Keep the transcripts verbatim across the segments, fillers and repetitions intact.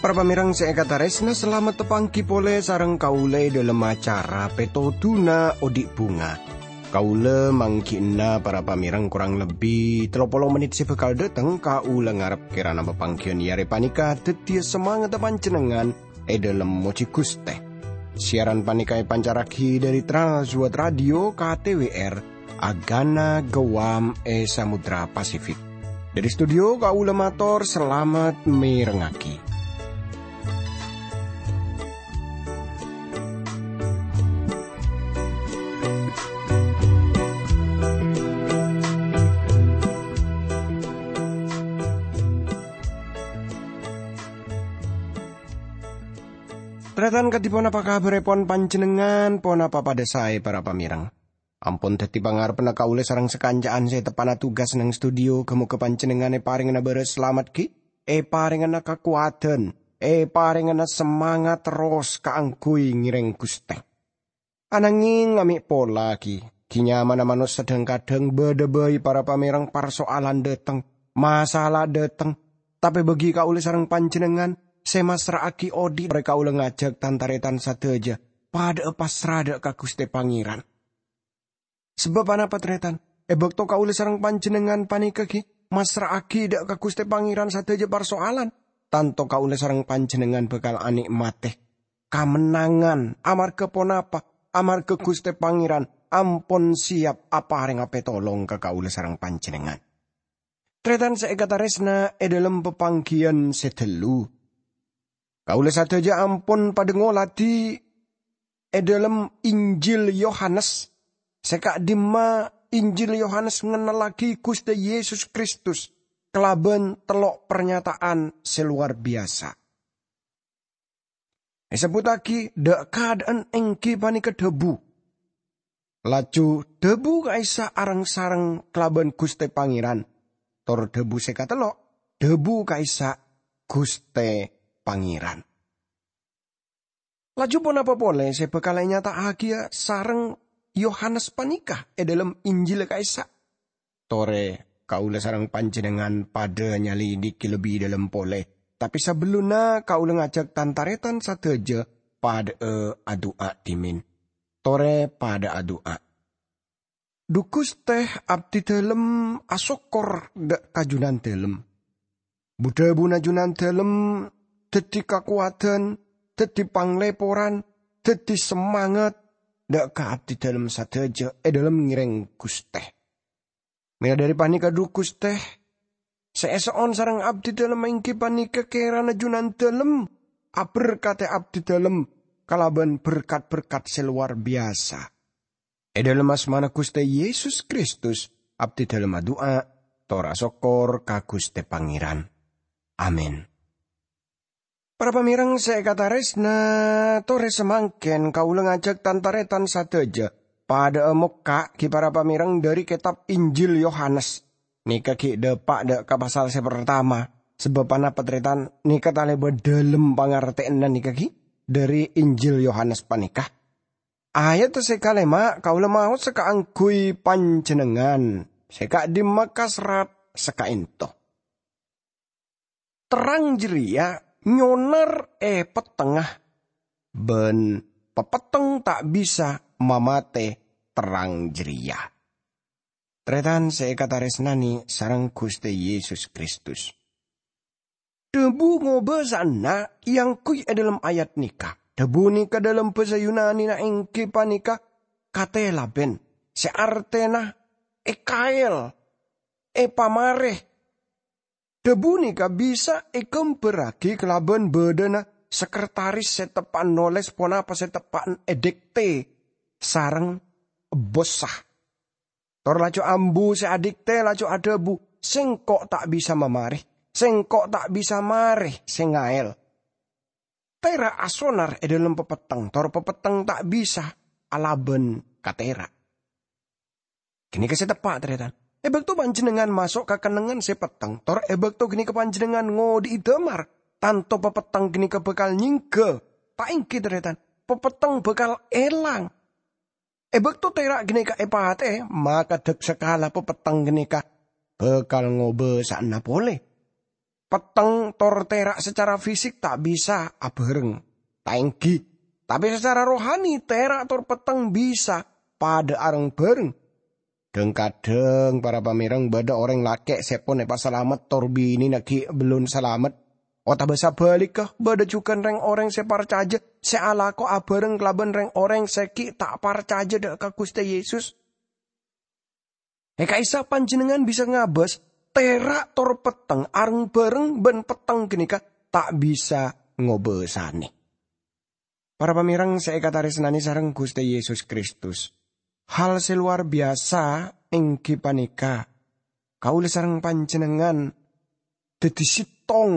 Para pamèrèng sè èkatarèsna, salamet tapangghi polè sareng kaulâ è dhâlem acara Pètodhuna Odi' Bhunga. Kaulâ mangghi'na para pamèrèng korang lebbi tello polo mennit sè bhâkal dhâteng. Kaulâ ngarep kèrana papangghiyân è arè panèka dhâddhiyâ samangatta panjhennengngan è dhâlem mojhi Ghustè. Siaran panèka èpancarraghi dhâri Trans World Radio K T W R, Agana Guam è Samudra Pasifik. Dhâri studio, kaulâ mator salamet mèrengngaghi. Tarètan, kadhi ponapa kabhârèpon panjhennengngan? Ponapa padhâ saè, para pamèrèng? Ampon dhâddhi pangarebbhânna kaulâ sareng sakanca'an sè teppa'na tugas neng studio. Ghâ-mogâ panjhennengngan èparèngana bârâs salamet ghi, èparèngana kakowadhân, èparèngana samangat terros kaangghuy ngèrèng Ghustè. Ananghing amè' pola ghi, ghi nyamana manossa dhâng-kadhâng bâdâ bhâi para pamèrèng parsoalan dhâteng, masalah dhâteng. Tapè bâgi kaulâ sareng panjhennengngan sè massra'aghi odi', torè kaulâ ngajhâk tan-tarètan sadhâjâ padhâ'â passra dhâ' ka Ghustè Pangèran. Sabâb anapa, tarètan? È bâkto kaulâ sareng panjhennengngan panèka ghi massra'aghi dhâ' ka Ghustè Pangèran sadhâjâ parsoalan, tanto kaulâ sareng panjhennengngan bhâkal anè'matè kamennangan. Amarghâ ponapa? Amarghâ Ghustè Pangèran ampon siap aparènga pètolong ka kaulâ sareng panjhennengngan. Tarètan sè èkatarèsna è dhâlem papangghiyân sè dâllu, kaulâ sadhâjâ ampon padhâ ngoladhi è dhâlem Injil Yohanes, sè ka'dimma Injil Yohanes ngennellaghi Ghustè Yesus Kristus kalabân tello' parnyata'an sè lowar biyasa. Èsebbhuttaghi dhâ'-kadhâ'ân èngghi panèka dhâbu. Laju dhâbu ka'issa' areng-sareng kalabân Ghustè Pangèran, tor dhâbu sè katello' dhâbu ka'issa' Ghustè Pangèran. Laju ponapa polè sè bhâkal ènyata'aghiyâ sareng Yohanes panèka è dhâlem Injil ka'issa'? Torè kaulâ sareng panjhennengngan padhâ nyalèdhighi lebbi dhâlem polè. Tapè sabellunna kaulâ ngajhâk tan-tarètan sadhâjâ padhâ'â adu'a dhimèn. Torè padhâ adu'a. Dhu Ghustè, abdhidhâlem asokkor dhâ' ka Jhunandhâlem. Bu-dhâbuna Jhunandhâlem dhâddhi kakowadhân, dhâddhi panglèporan, dhâddhi samangat dhâ' ka abdhidhâlem sadhâjâ è dhâlem ngèrèng Ghustè. Mèla dhâri panèka, dhu Ghustè, sè èso'on sareng abdhidhâlem èngghi panèka kèrana Jhunandhâlem aberkadhi abdhidhâlem kalabân berkat-berkat sè lowar biyasa. È dhâlem asmana Ghustè Yesus Kristus, abdhidhâlem adu'a, tor asokkor ka Ghustè Pangèran. Amin. Para pamèrèng sè èkatarèsna, torè samangkèn kaulâ ngajhâk tan-tarètan sadhâjâ padhâ'â mokka' ghi para pamèrèng dhâri kètab Injil Yohanes. Nèka ghi' dâpa' dhâ' ka pasal sè partama, sabâb anapa, tarètan? Nèka talèbât dhâlem pangartèyanna nèka ghi dhâri Injil Yohanes panèka. Ayat sè kalèma' kaulâ maosa kaangghuy panjhennengngan sè ka'dimma kaserrat sakaènto. Terrang jârèya nyonar è pettengnga, bân papetteng ta' bisa mamatè terrang jârèya. Tarètan sè èkatarèsnanè sareng Ghustè Yesus Kristus. Dhâbu ngobâsa'anna èangghuy è dhâlem ayat nèka. Dhâbu nèka dhâlem bhâsa Yunanina èngghi panèka katelaben, sè artèna èkaèl, èpamarè. Dhâbu nèka bisa èghâmbhârraghi kalabân bâdâna sekretaris sè teppa'na nolès ponapa sè teppa'na èdikte sareng bos. Tor laju ambu sè adikte laju adhâbu, "Sengko' ta' bisa mamarè, sengko' ta' bisa marè sè ngaèl." Tèra' asonar è dhâlem papetteng, tor papetteng ta' bisa alabân ka tèra'. Ghânèka sè teppa', tarètan. È bâkto panjhennengngan maso' ka kennengngan sè petteng, tor è bâkto ghânèka panjhennengngan ngodhi'i damar, tanto papetteng ghânèka bhâkal nyèngghâ Ta' ènggi, tarètan, papetteng bhâkal èlang. È bâkto tèra' ghânèka èpatè'è, maka dak-sakala papetteng ghânèka bhâkal ngobâsa'ana polè. Petteng tor tèra' sacara fisik ta' bisa abhâreng, ta' ènggi. Tapè sacara rohani, tèra' tor petteng bisa padâ areng-bhâreng. Dhâng-kadhâng, para pamèreng, bâdâ orèng lakè' sè pon èpasalamet tor binèna ghi' bellun salamet. Otabâ sabhâligghâ, bâdâ jhughân rèng-orèng sè parcajâ sè alako abhâreng kalabân rèng-orèng sè ghi' ta' parcajâ dâ' ka Ghustè Yesus. È ka'issa' panjhennengngan bisa ngabâs, tèra' tor petteng areng-bhâreng bân petteng ghânèka ta' bisa ngobâsanè. Para pamèreng sè èkatarèsnanè sareng Ghustè Yesus Kristus, hal sè lowar biyasa ènggi panèka kaulâ sareng panjhennengngan dhâddhi sèttong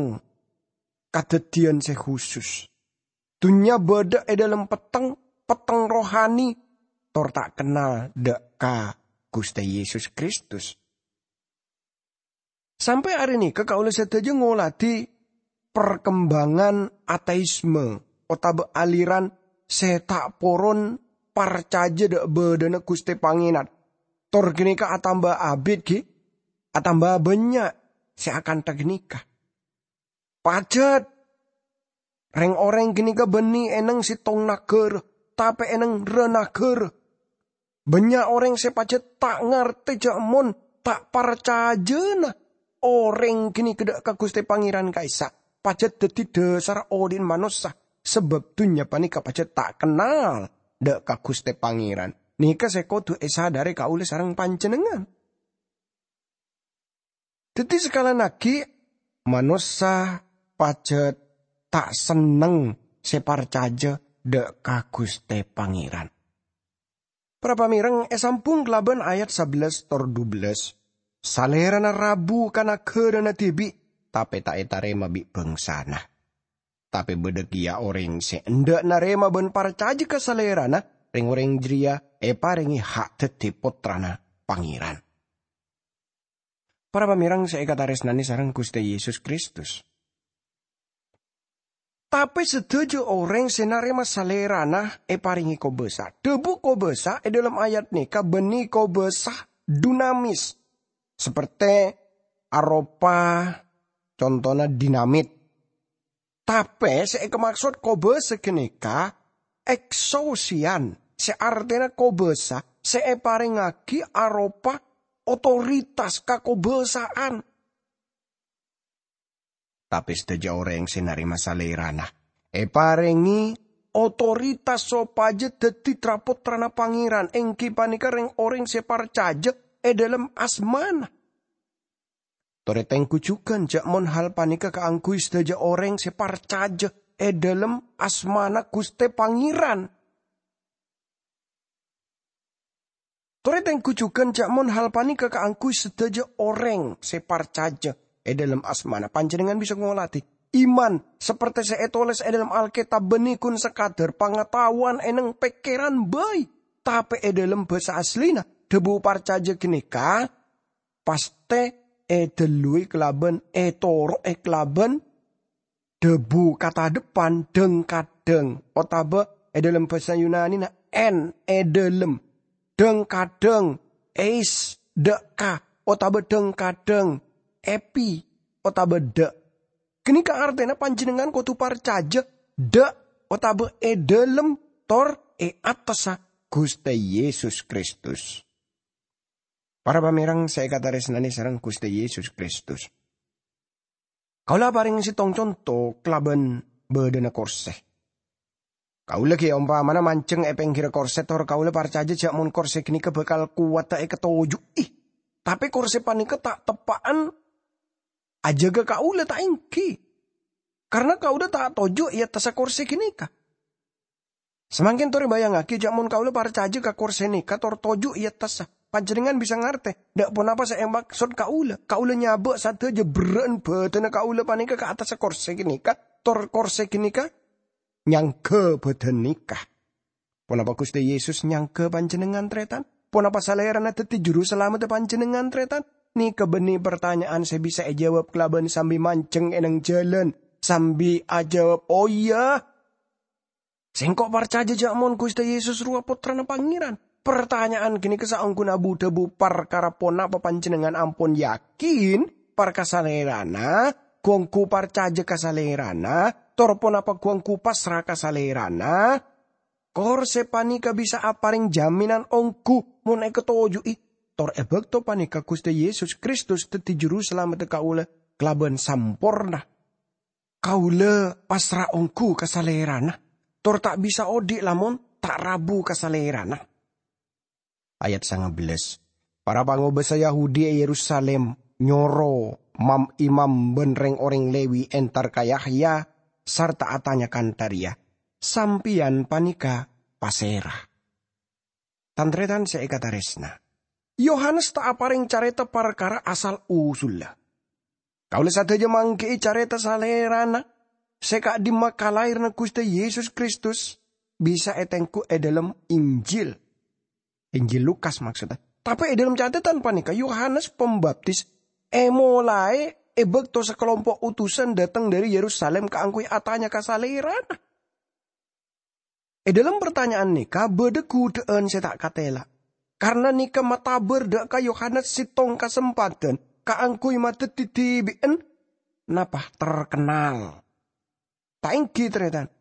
kadhâddhiyân sè khusus. Dhunnya bâdâ è dâlem petteng, petteng rohani, tor ta' kennal dâ' ka Ghustè Yesus Kristus. Sampè' arè nèka kaulâ sadhâjâ ngoladhi parkembangan ateisme otabâ aliran sè ta' poron parcajâ dâ' bâdâna Ghustè Pangèran. Tor ghânèka atamba abit, ghi? Atamba bânnya' sè akantha ghânèka. Pajhât! Rèng-orèng ghânèka bânnè è neng sèttong naghârâ, tapè è neng ra naghârâ. Bânnya' orèng sè pajhât ta' ngartè jâ' mon ta' parcajâna orèng ghânèka dâ' ka Ghustè Pangèran ka'issa' pajhât dhâddhi dhâsarra odi'na manossa, sabâb dhunnya panèka pajhât ta' kennal dâ' ka Ghustè Pangèran. Nèka sè kodhu èsadhâri kaulâ sareng panjhennengngan. Dhâddhi, sakalèyan aghi', manossa pajhât ta' senneng sè parcajâ dâ' ka Ghustè Pangèran. Para pamèreng, èsambhung kalabân ayat sabellâs tor dubellâs, "Salèrana rabu ka naghârâna dhibi', tapè ta' ètarèma bi' bhângsana. Tapè bâdâ kèya orèng sè endâ' narèma bân parcajâ ka Salèrana, rèng-orèng jârèya èparèngè ha' dhâddhi pottrana Pangèran." Para pamèreng sè èkatarèsnanè sareng Ghustè Yesus Kristus. Tapè sadhâjâ orèng sè narèma Salèrana èparèngè kobâsa. Dhâbu kobâsa è dâlem ayat nèka bânnè kobâsa dunamis, saperte aropa contona dinamit. Tapè sè èkamaksod kobâsa ghânèka eksousian, sè artèna kobâsa sè èparèngaghi aropa otoritas, kakobâsa'an. Tapè sadhâjâ orèng sè narèma Salèrana èparèngè otoritas sopajâ dhâddhi tra-pottrana Pangèran, ènggi panèka rèng-orèng sè parcajâ è dâlem asmana. Torè tèngghu jhughân jâ' mon hal panèka kaangghuy sadhâjâ orèng sè parcajâ è dâlem asmana Ghustè Pangèran. Torè tèngghu jhughân jâ' mon hal panèka kaangghuy sadhâjâ orèng sè parcajâ è dâlem asmana. Panjhennengngan bisa ngoladhi iman, saperte sè ètolès è dâlem Alkètab, bânnè ghun sakadâr pangataowan è neng pèkkèran bhâi. Tapè è dâlem bhâsa asllina, dhâbu parcajâ ghânèka pastè èdhâlluwi kalabân, ètoro'è kalabân dhâbu katadheppan dhâng-kadhâng, otabâ è dâlem bhâsa Yunanina en, è dâlem, dhâng-kadhâng eis, dâ' ka, otabâ dhâng-kadhâng epi, otabâ dâ'. Ghânèka artèna panjhennengngan kodhu parcajâ dâ' otabâ è dâlem tor è attassa Ghustè Yesus Kristus. Para pamèreng sè èkatarèsnanè sareng Ghustè Yesus Kristus. Kaulâ aparèng sèttong conto kalabân bâdâna korsè. Kaulâ ghi' ompamana manjheng è pèngghirra korsè, tor kaulâ parcajâ jâ' mon korsè ghânèka bhâkal kowadhâ èkatoju'i. Tapè korsè panèka ta' teppa'an ajâgâ kaulâ, ta' ènggi. Karna kaulâ ta' toju' è attassa korsè ghânèka. Samangkèn torè bâjângaghi, jâ' mon kaulâ parcajâ ka korsè nèka tor toju' è attassa, panjhennengngan bisa ngartè dâ' ponapa sè èmaksod kaulâ. Kaulâ nyabâ' sadhâjâ berrâ'ân bâdânna kaulâ panèka ka attassa korsè ghânèka, tor korsè ghânèka nyangghâ bâdân nèka. Ponapa Ghustè Yesus nyangghâ panjhennengngan, tarètan? Ponapa Salèrana dhâddhi Juru Salameddhâ panjhennengngan, tarètan? Nèka bânnè partanya'an sè bisa èjâwâb kalabân sambi manjheng è neng jhâlân, sambi ajâwâb, "Oh, iyâ." Sengko' parcaja ja' mon Guste Yesus rowa Pottrana Pangeran. Partanya'an ganeka saongguna bu-dhabu parkara ponapa panjennengngan ampon yakin parka Salerana, gu-onggu parcaja ka Salerana, tor ponapa gu-onggu pasra ka Salerana? Kor se paneka bisa apareng jaminan onggu mon ekatoju'i, tor e bakto paneka Guste Yesus Kristus daddi Juru Salameddhâ kaula kalaban samporna. Kaula pasra onggu ka Salerana, tor ta' bisa odhi' lamon ta' rabu ka Salerana. Ayat sanga bellas. Para pangobasa Yahudi e Yerusalim nyoro mam-imam ban reng-oreng Lewi entar ka Yahya sarta atanya kantha reya, "Sampeyan paneka pasera?" Tan-taretan se ekataresna, Yohanes ta' apareng careta parkara asal-usulla. Kaula sadaja manggi'i careta Salerana se ka'dimma kalaherranna Guste Yesus Kristus bisa etenggu e dhalem Injil. Injil Lukas maksudda. Tape e dhalem catetan paneka Yohanes Pambaptis emolae e bakto sakalompo' utusan dhateng dhari Yerusalim kaangguy atanya ka Salerana. E dhalem partanya'an neka badha gudha'an se ta' katela, karna neka matabar dha' ka Yohanes settong kasempadhan kaangguy madaddi dhibi'en napa terkenal. Ta' enggi, taretan?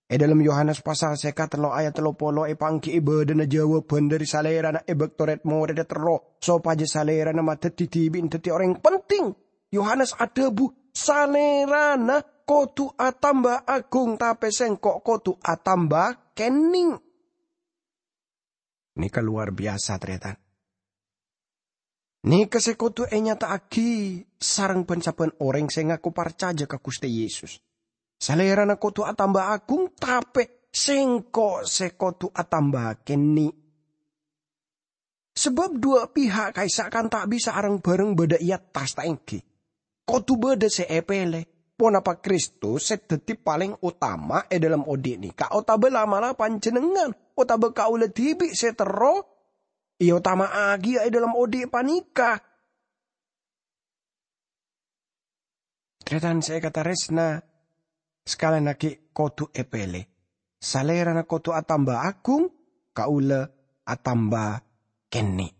E dhalem Yohanes pasal seka tello ayat tello polo epanggi'i badhana jawaban dhari Salerana e bakto red-moredda terro sopaja Salerana madaddi dhibi'en daddi oreng penting. Yohanes adhabu, "Salerana kodu atamba agung, tape sengko' kodu atamba kenneng." Neka lowar biyasa, taretan. Neka se kodu enyata'agi sareng ban-sabban oreng se ngako parcaja ka Guste Yesus. Salerana kodu atamba agung, tape sengko' se kodu atamba kenneng. Sabab dua pihak ka'issa' kan ta' bisa areng-bareng badha e attas, ta' enggi? Kodu badha se epele. Ponapa Kristus se daddi paleng otama e dhalem odhi' neka, otaba la'-mala' panjennengngan, otaba kaula dhibi' se terro eotama'agiya e dhalem odhi' paneka? Taretan se ekataresna, sakalennagi kodu epele. Salerana kodu atamba agung, kaula atamba kenneng.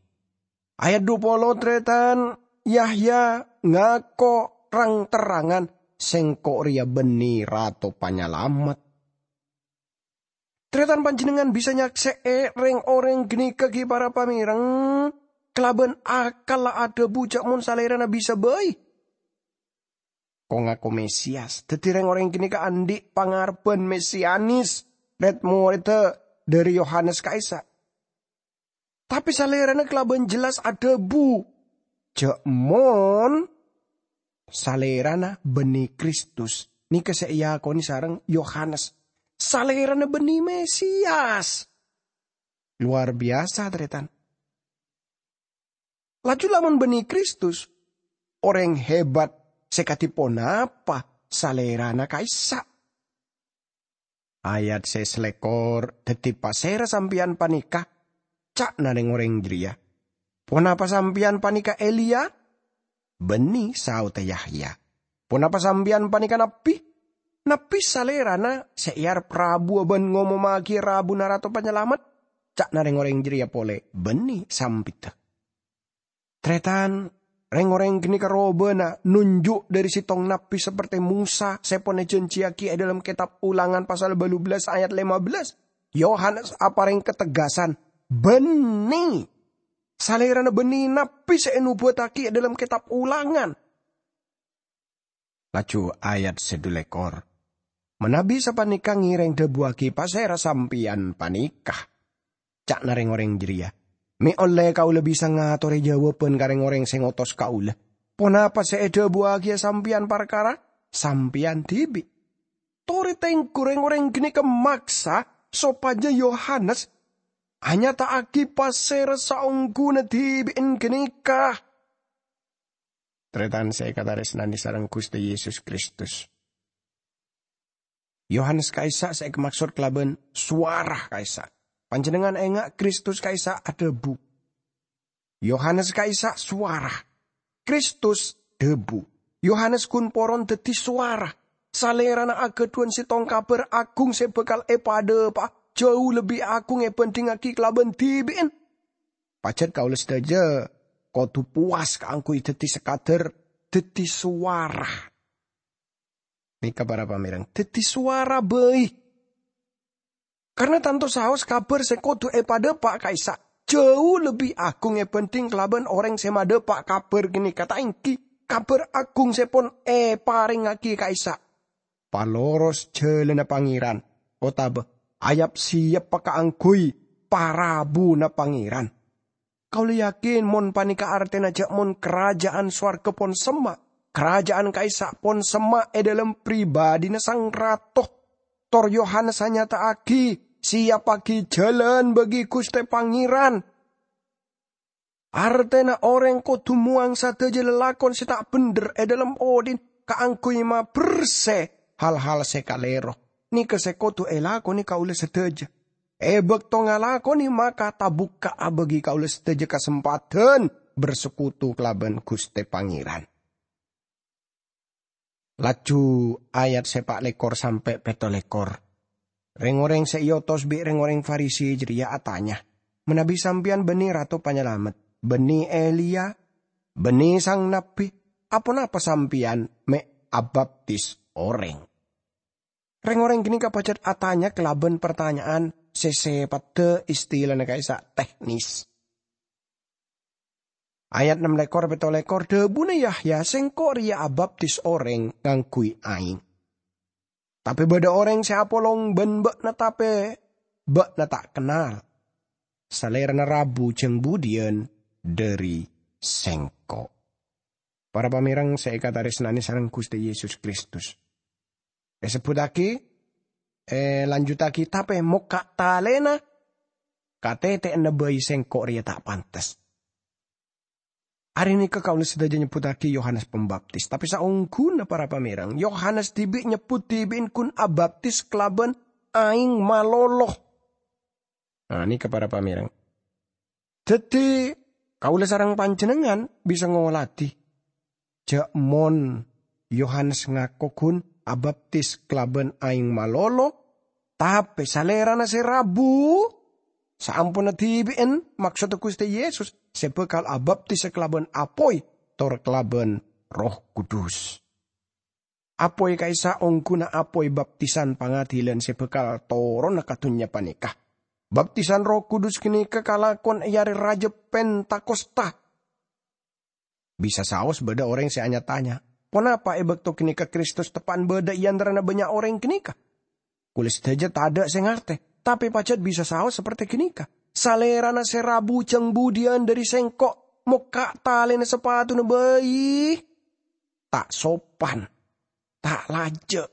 Ayat dua polo, taretan, Yahya ngako rang-terrangan, "Sengko' reya banne Rato Panyalamet." Taretan, panjennengngan bisa nyakse'e reng-oreng ganeka gi' para pamereng kalaban akalla adhabu ja' mon Salerana bisa bai ko-ngako Mesiyas. Daddi, reng-oreng ganeka andhi' pangarebban Mesianis, red-moredda dhari Yohanes ka'issa'. Tape Salerana kalaban jelas adhabu ja' mon Salerana banne Kristus, neka se eakone sareng Yohanes. Salerana banne Mesiyas. Lowar biyasa, taretan. Laju lamon banne Kristus, oreng hebat se kadi ponapa Salerana ka'issa'? Ayat se salekor, "Daddi pasera sampeyan paneka?" ca'na reng-oreng jareya. "Ponapa sampeyan paneka Eliya?" "Banne," saodda Yahya. "Ponapa sampeyan paneka nabbi?" "Nabbi Salerana se earep rabuwa ban ngomommagiya rabuna Rato Panyalamet," ca'na reng-oreng jareya pole. "Banne sampidda." Taretan, reng-oreng ganeka robana nonjuk dhari settong nabbi saperte Mosa se pon ejanjiyagi e dhalem Ketab Ulangan pasal balu bellas ayat lema bellas. Yohanes apareng kategasan, "Banne! Salerana banne nabbi se enobuwattagi e dhalem Ketab Ulangan." Laju ayat se dhu lekor, "Manabi sapaneka ngereng dhabuwagi pasera sampeyan paneka?" ca'na reng-oreng jareya. "Me' olle kaula bisa ngatore jawaban ka reng-oreng se ngotos kaula. Ponapa se edhabuwagiya sampeyan parkara sampeyan dibi'?" Tore tenggu reng-oreng ganeka maksa sopaja Yohanes anyata'agi pasera saongguna dibi'en ganeka. Taretan se ekataresnane sareng Guste Yesus Kristus. Yohanes ka'issa' se ekamaksod kalaban sowara ka'issa'. Panjennengngan enga' Kristus ka'issa' adhabu. Yohanes ka'issa' sowara. Kristus dhabu. Yohanes gun poron daddi sowara. Salèrana aghâdhuwân sèttong kabhâr aghung sè bhâkal èpadhâpa'a, jhâu lebbi aghung èbhândhingngaghi kalabân dhibi'en. Pajhât kaulâ sadhâjâ kodhu powas kaangghuy dhâddhi sakadhâr dhâddhi sowara. Nèka para pamèrèng, dhâddhi sowara bhâi. Karna tanto saos kabhâr sè kodhu èpadhâpa'a ka'issa' jhâu lebbi aghung èbhândhing kalabân orèng sè madhâpa' kabhâr ghânèka, ta' èngghi kabhâr aghung sè pon èparèngngaghi ka'issa'. Paloros jhâlânna Pangèran, otabâ ayap-sèyappa kaangghuy parabuna Pangèran. Kaulâ yakin mon panèka artèna jhâ' mon Karaja'an Sowarghâ pon semma', Karaja'an ka'issa' pon semma' è dhâlem pribadhina Sang Rato. Tor Yohanes anyata'aghi, "Sèyappaghi jhâlân bagi Ghustè Pangèran." Artèna orèng kodhu mowang sadhâjâ lalakon sè ta' bhendher è dhâlem odhi'na kaangghuy mabersè hal-hal sè kalèro. Nèka sè kodhu èlakonè kaulâ sadhâjâ. È bâkto ngalakonè, maka tabukka'a bagi kaulâ sadhâjâ kasempadhân bersekutu kalabân Ghustè Pangèran. Laju ayat sè pa' lèkor sampè' pètto lèkor. Rèng-orèng sè èotos bi' rèng-orèng Farisi jârèya atanya, "Manabi sampèyan bânnè Rato Panyalamet, bânnè Eliya, bânnè Sang Nabbhi, aponapa sampèyan mè' abaptis orèng?" Rèng-orèng ghânèka pajhât atanya kalabân partanya'an sè sèpaddhâ istilana ka'issa' teknis. Ayat nem lèkor, pètto lèkor, dhâbuna Yahya, "Sèngko' rèya abaptis orèng ngangghuy aèng. Tapè bâdâ orèng sè apolong bân bâ'na, tapè bâ'na ta' kennal. Salèrana rabu jâng budiyân dhâri Sèngko'." Para pamèrèng sè èkatarèsnanè sareng Ghustè Yesus Kristus. Èsebbhuttaghi, èlanjuttaghi, tapè mokka' talèna katètè'anna bhâi Sèngko' rèya ta' pantes. Arè nèka kaulâ sadhâjâ nyebbhuttaghi Yohanes Pembaptis, tapè saongghuna para pamèrèng, Yohanes dhibi' nyebbhut dhibi'en ghun abaptis kalabân aèng malolo. Nah, nèka para pamèrèng. Dhâddhi, kaulâ sareng panjhennengngan bisa ngoladhi. Jhâ' mon Yohanes ngako ghun abaptis kalabân aèng malolo, tapè salèrana sè rabu, saamponna dhibi'en, maksoddhâ Ghustè Yesus, sè bhâkal abaptis kalabân apoy tor kalabân Erroh Kudus. Apoy ka'issa' ongghuna apoy baptisan pangadilan sè bhâkal toronna ka dhunnya panèka. Baptisan Erroh Kudus ghânèka kalakon è arè rajâ Pentakosta. Bisa saos bâdâ orèng sè anya-tanya, "Ponapa è bâkto ghânèka Kristus teppa'na bâdâ è antarana bânnya' orèng ghânèka?" Kaulâ sadhâjâ tadâ' sè ngartè, tapè pajhât bisa saos saperte ghânèka, "Salèrana sè rabu jâng budiyân dhâri Sèngko', mokka' talèna sapatuna bhâi. Ta' sopan, ta' lajâ'.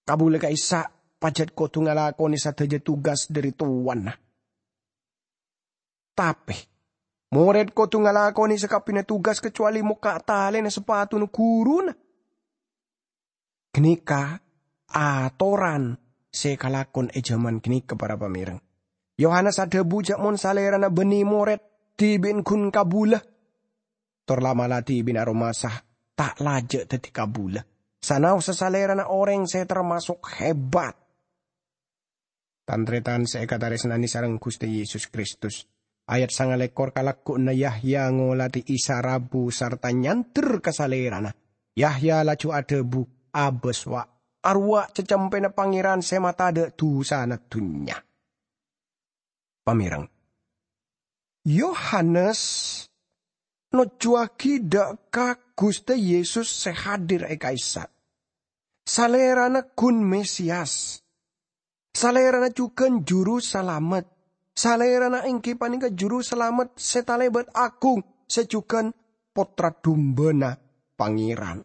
Kaulâ ka'issa' pajhât kodhu ngalakonè sadhâjâ tugas dhâri towana. Tapè, morèd kodhu ngalakonè sakabbhiyânna tugas kacowalè mokka' talèna sapatuna ghuruna." Ghânèka atoran sè kalakon è jhâman ghânèka, para pamèrèng. Yohanes adhâbu jhâ' mon salèrana bânnè morèd dhibi'en ghun kabulâ. Tor la'-mala' dhibi'na aromasa ta' lajâ' dhâddhi kabulâ. Sanaossa salèrana orèng sè termasok hebat. Tan-tarètan sè èkatarèsnanè sareng Ghustè Yesus Kristus. Ayat sangalèkor, kalaggu'na Yahya ngolatè Isa rabu sarta nyandher ka Salèrana. Yahya laju adhâbu, "Abâs, wa', arowa' cacempèna Pangèran sè matadâ' dusana dhunnya." Pamèrèng. Yohanes nojjuwaghi dâ' ka Ghustè Yesus sè hadir è ka'issa'. Salèrana ghun Mesias. Salèrana jhughân Juru Salamet. Salèrana èngghi panèka Juru Salamet sè talèbât aghung, sè jhughân Pottra Dumbâna Pangèran.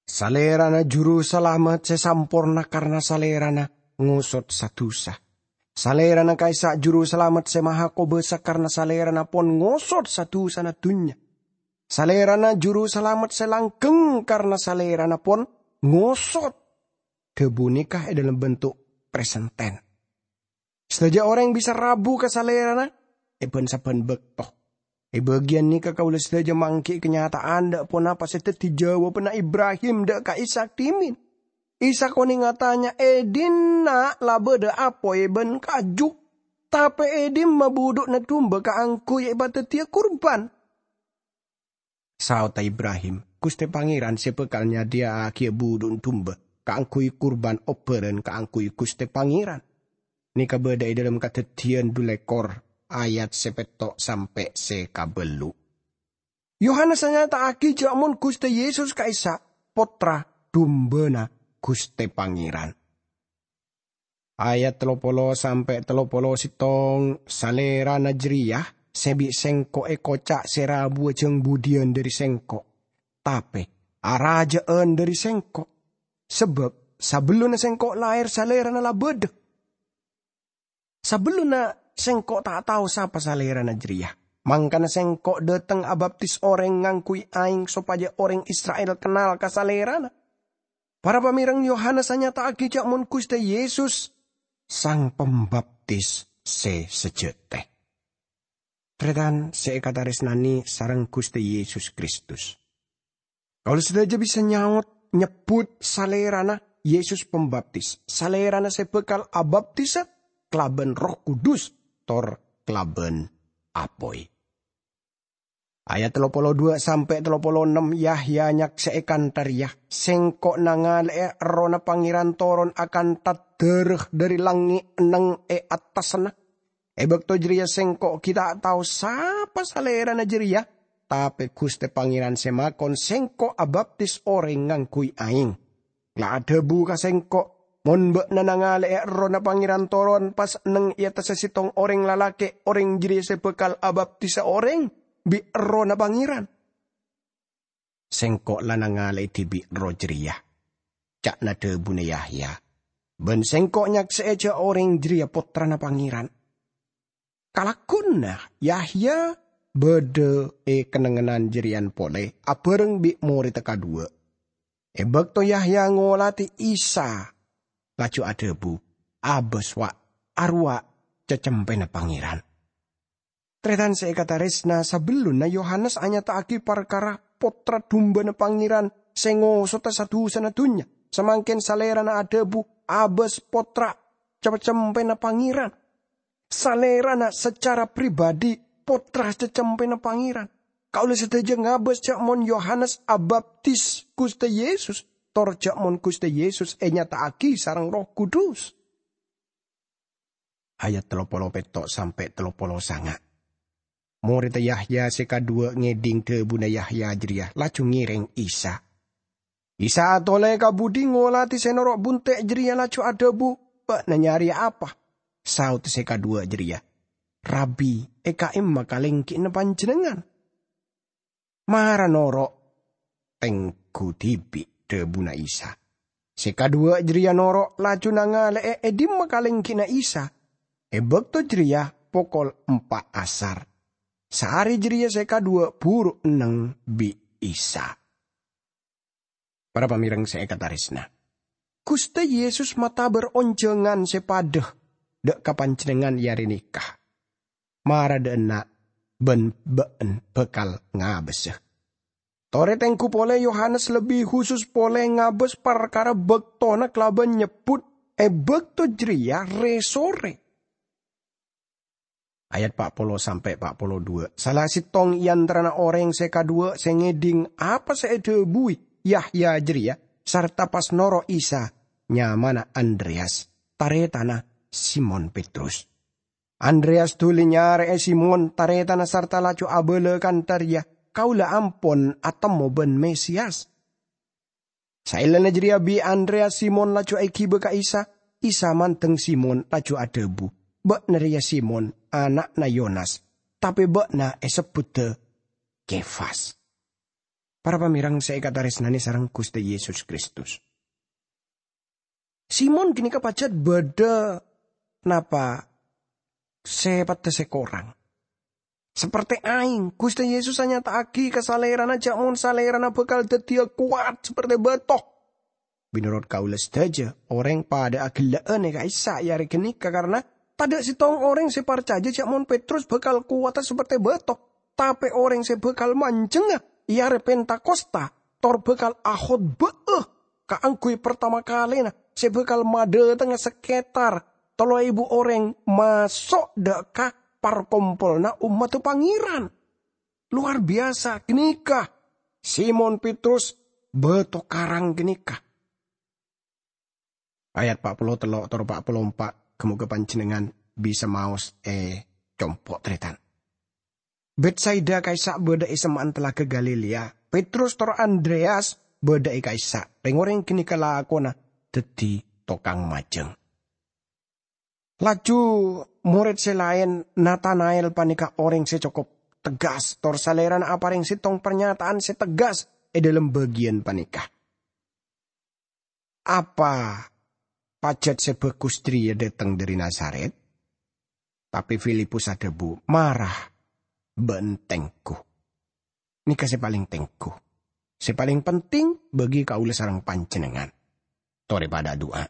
Salèrana Juru Salamet sè samporna karna Salèrana ngosot sa-dusa. Salèrana ka'issa' Juru Salamet sè maha kobâsa karna Salèrana pon ngosot sa-dusana dhunnya. Salèrana Juru Salamet sè langgheng karna Salèrana pon ngosot. Dhâbu nèka è dhâlem bentuk present tense. Sadhâjâ orèng bisa rabu ka Salèrana è bân-sabbhân bâkto. È bâgiyân nèka kaulâ sadhâjâ mangghi' kanyata'an dâ' ponapa sè dhâddhi jâwâbhânna Ibrahim dâ' ka Ishak dhimèn. Isa konèng atanya, "È dinna' la bâdâ apoy bân kaju, tapè è dimma budhu'na dumba kaangghuy èpadhâddhiyâ kurban?" Saodhâ Ibrahim, "Ghustè Pangèran sè bhâkal nyadhiyâ'âghiyâ budhu'na dumba kaangghuy kurban obbhârân kaangghuy Ghustè Pangèran." Nèka bâdâ è dhâlem Kadhâddhiyân dhu lèkor, ayat sè pètto' sampè' sè kabâllu'. Yohanes anyata'aghi jâ' mon Ghustè Yesus ka'issa' Pottra Dumbâna Ghustè Pangèran. Ayat tello polo sampè' tello polo sèttong, "Salèrana jârèya sè bi' Sèngko' èkoca' sè rabuwâ jâng budhiyân dhâri Sèngko', tapè arajâ'ân dhâri Sèngko', sabâb sabellunna Sèngko' lahèr Salèrana la bâdâ." Sabellunna Sèngko' ta' tao sapa Salèrana jârèya, mangkana Sèngko' dâteng abaptis orèng ngangghuy aèng sopajâ orèng Isra'il kennal ka Salèrana. Para pamèreng, Yohanes anyata'aghi jâ' mon Ghustè Yesus Sang Pambaptis sè sajhâtè. Tarètan sè èkatarèsnanè sareng Ghustè Yesus Kristus. Kaulâ sadhâjâ bisa nyaot, nyebbhut Salèrana Yesus Pambaptis, Salèrana sè bhâkal abaptisa kalabân Erroh Kudus tor kalabân apoy. Ayat tello polo dhu sampè' tello polo ennem, Yahya nyaksè'è kantha rèya, "Sèngko' nangalè'è Errohna Pangèran toron akantha dârâ dhâri langngè' neng è attassanna. È bâkto jârèya Sèngko' ghi' ta' tao sapa Salèrana jârèya, tapè Ghustè Pangèran sè makon Sèngko' abaptis orèng ngangghuy aèng, la adhâbu ka Sèngko', 'Mon bâ'na nangalè'è Errohna Pangèran toron pas neng è attassa sèttong orèng lalakè', orèng jârèya sè bhâkal abaptisa orèng bi' Errohna Pangèran.' Sèngko' la nangalè'è dhibi' Erroh jârèya," ca'na dhâbuna Yahya, "bân Sèngko' nyaksè'è jâ' orèng jârèya Pottrana Pangèran." Kalagghuwânna Yahya bâdâ è kennengngan jârèyan polè abhâreng bi' morèdda kadhuwâ'. È bâkto Yahya ngolatè Isa, laju adhâbu, "Abâs, wa', arowa' cacempèna Pangèran." Tarètan sè èkatarèsna, sabellunna Yohanes anyata'aghi parkara Pottra Dumbâna Pangèran sè ngosodhâ sa-dusana dhunnya, samangkèn Salèrana adhâbu, "Abâs, Pottra cacempèna Pangèran." Salèrana sacara pribadi Pottra cacempèna Pangèran. Kaulâ sadhâjâ ngabâs jâ' mon Yohanes abaptis Ghustè Yesus, tor jâ' mon Ghustè Yesus ènyata'aghi sareng Erroh Kudus. Ayat tello polo pètto' sampè' tello polo sanga'. Morèdda Yahya sè kadhuwâ' ngèdhing dhâbuna Yahya jârèya, laju ngèrèng Isa. Isa atolè ka budi ngolatè sè noro' bunte' jârèya, laju adhâbu, "Bâ'na nyarèya apa?" Saodda sè kadhuwâ' jârèya, "Rabbi, è ka'imma kalèngghina Panjhennengngan?" "Mara noro', tengghu dhibi'," dhâbuna Isa. Sè kadhuwâ' jârèya noro', laju nangalè'è è dimma kalèngghina Isa. È bâkto jârèya pokol empa' asar. Saarè jârèya sè kadhuwâ' buru enneng bi' Isa. Para pamèreng sè èkatarèsna, Ghustè Yesus matabâr onjhângan sè padâ dâ' ka panjhennengngan è arè nèka. Mara dâ' enna' bân bâ'na bhâkal ngabâsa. Torè tengghu polè Yohanes lebbi husus polè ngabâs parkara bâktona kalabân nyebbhut è bâkto jârèya rè-sorè. Ayat pa' polo sampè' pa' polo dhu. Sala sèttong è antarana orèng sè kadhuwâ' sè ngèdhing apa sè èdhâbuwi Yahya jârèya sarta pas noro' Isa, nyamana Andreyas, tarètanna Simon Petrus. Andreyas dhuli nyarè'è Simon, tarètanna, sarta laju abâlâ kantha rèya, "Kaulâ ampon atemmo bân Mesiyas." Saellana jârèya bi' Andreyas Simon laju èghibâ ka Isa. Isa mandeng Simon laju adhâbu, "Bâ'na rèya Simon, ana'na Yonas, tapè bâ'na èsebbhudhâ Kefas." Para pamèreng sè èkatarèsnanè sareng Ghustè Yesus Kristus. Simon ghânèka pajhât bâdâ napa sèpatta sè korang. Saperte aèng, Ghustè Yesus anyata'aghi ka salèrana jâ' mon salèrana bhâkal dhâddhiyâ kowat saperte bâto. Mènorot kaulâ sadhâjâ, orèng padâ aghellâ'ân è ka'issa' è arè ghânèka, karna tadâ' sèttong orèng sè parcajâ jâ' mon Petrus bhâkal kowata saperte bâto. Tapè orèng sè bhâkal manjhengnga è arè Pentakosta tor bhâkal akhotbâ'â kaangghuy partama kalèna sè bhâkal madhâtengnga sakètar tello èbu orèng maso' dâ' ka parkompolanna ommaddhâ Pangèran. Lowar biyasa ghânèka Simon Petrus bâto karang ghânèka. Ayat pa' polo tello' tor pa' polo empa', ghâ-mogâ panjhennengngan bisa maos è compo', tarètan. Betsaida ka'issa' bâdâ è semma'an Talaga Galilea. Petrus tor Andreas bâdâ è ka'issa'. Rèng-orèng ghânèka lakona dhâddhi tokang majâng. Laju morèd sè laèn, Natanael panèka orèng sè cokop tegas, tor salèrana aparèng sèttong parnyata'an sè tegas è dhâlem bâgiyân panèka. "Apa pajhât sè bhâghus jârèya dâteng dhâri Nazaret?" Tapè Filipus adhâbu, "Mara bâ'na tengghu. Nèka sè palèng tengghu, sè palèng penting bagi kaulâ sareng panjhennengngan." Torè padâ adu'a.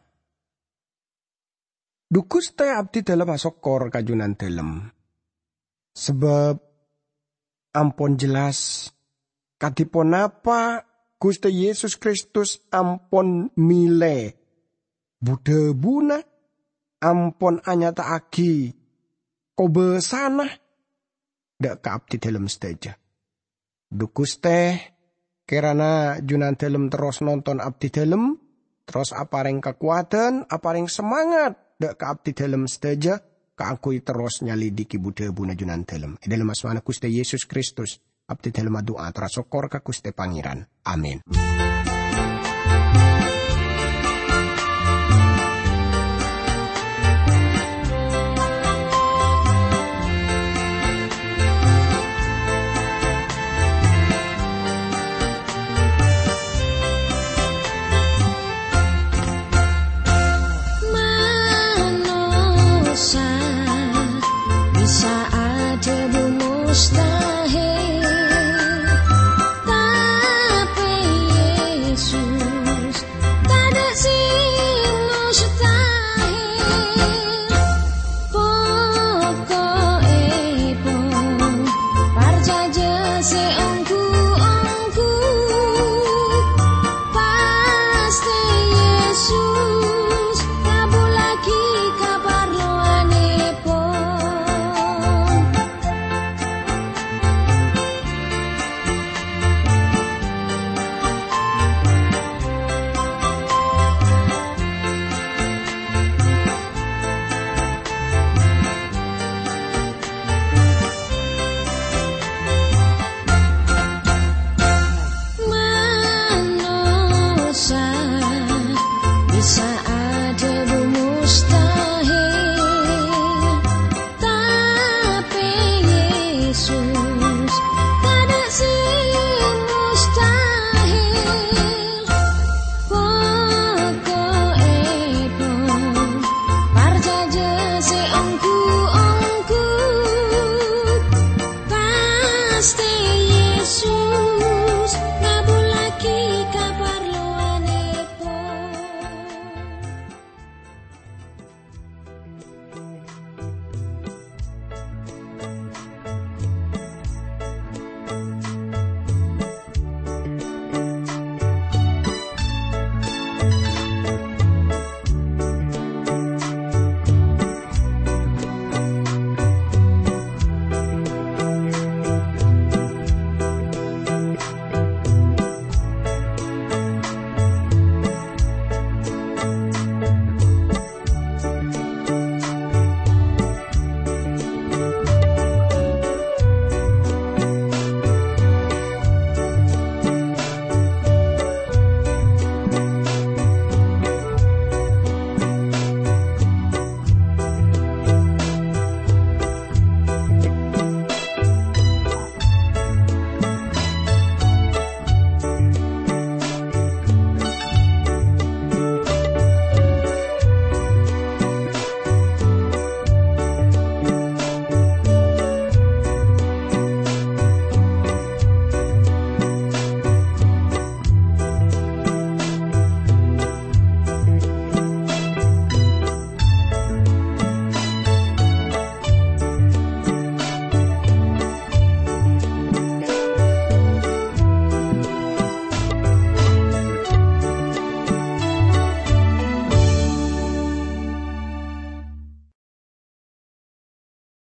"Dhu Ghustè, abdhidhâlem asokkor ka Junandhâlem, sabâb ampon jelas kadhi ponapa Ghustè Yesus Kristus ampon mèlè bu-dhâbuna, ampon anyata'aghi kobâsana dâ' ka abdhidhâlem sadhâjâ. Dhu Ghustè, kèrana Junandhâlem terros nonton abdhidhâlem, terros aparèng kakowadhân, aparèng samangat dâ' ka abdhidhâlem sadhâjâ kaangghuy terros nyalidiki bu-dhâbuna Junandhâlem. È dhâlem asmana Ghustè Yesus Kristus, abdhidhâlem adu'a tor asokkor ka Ghustè Pangèran. Amin."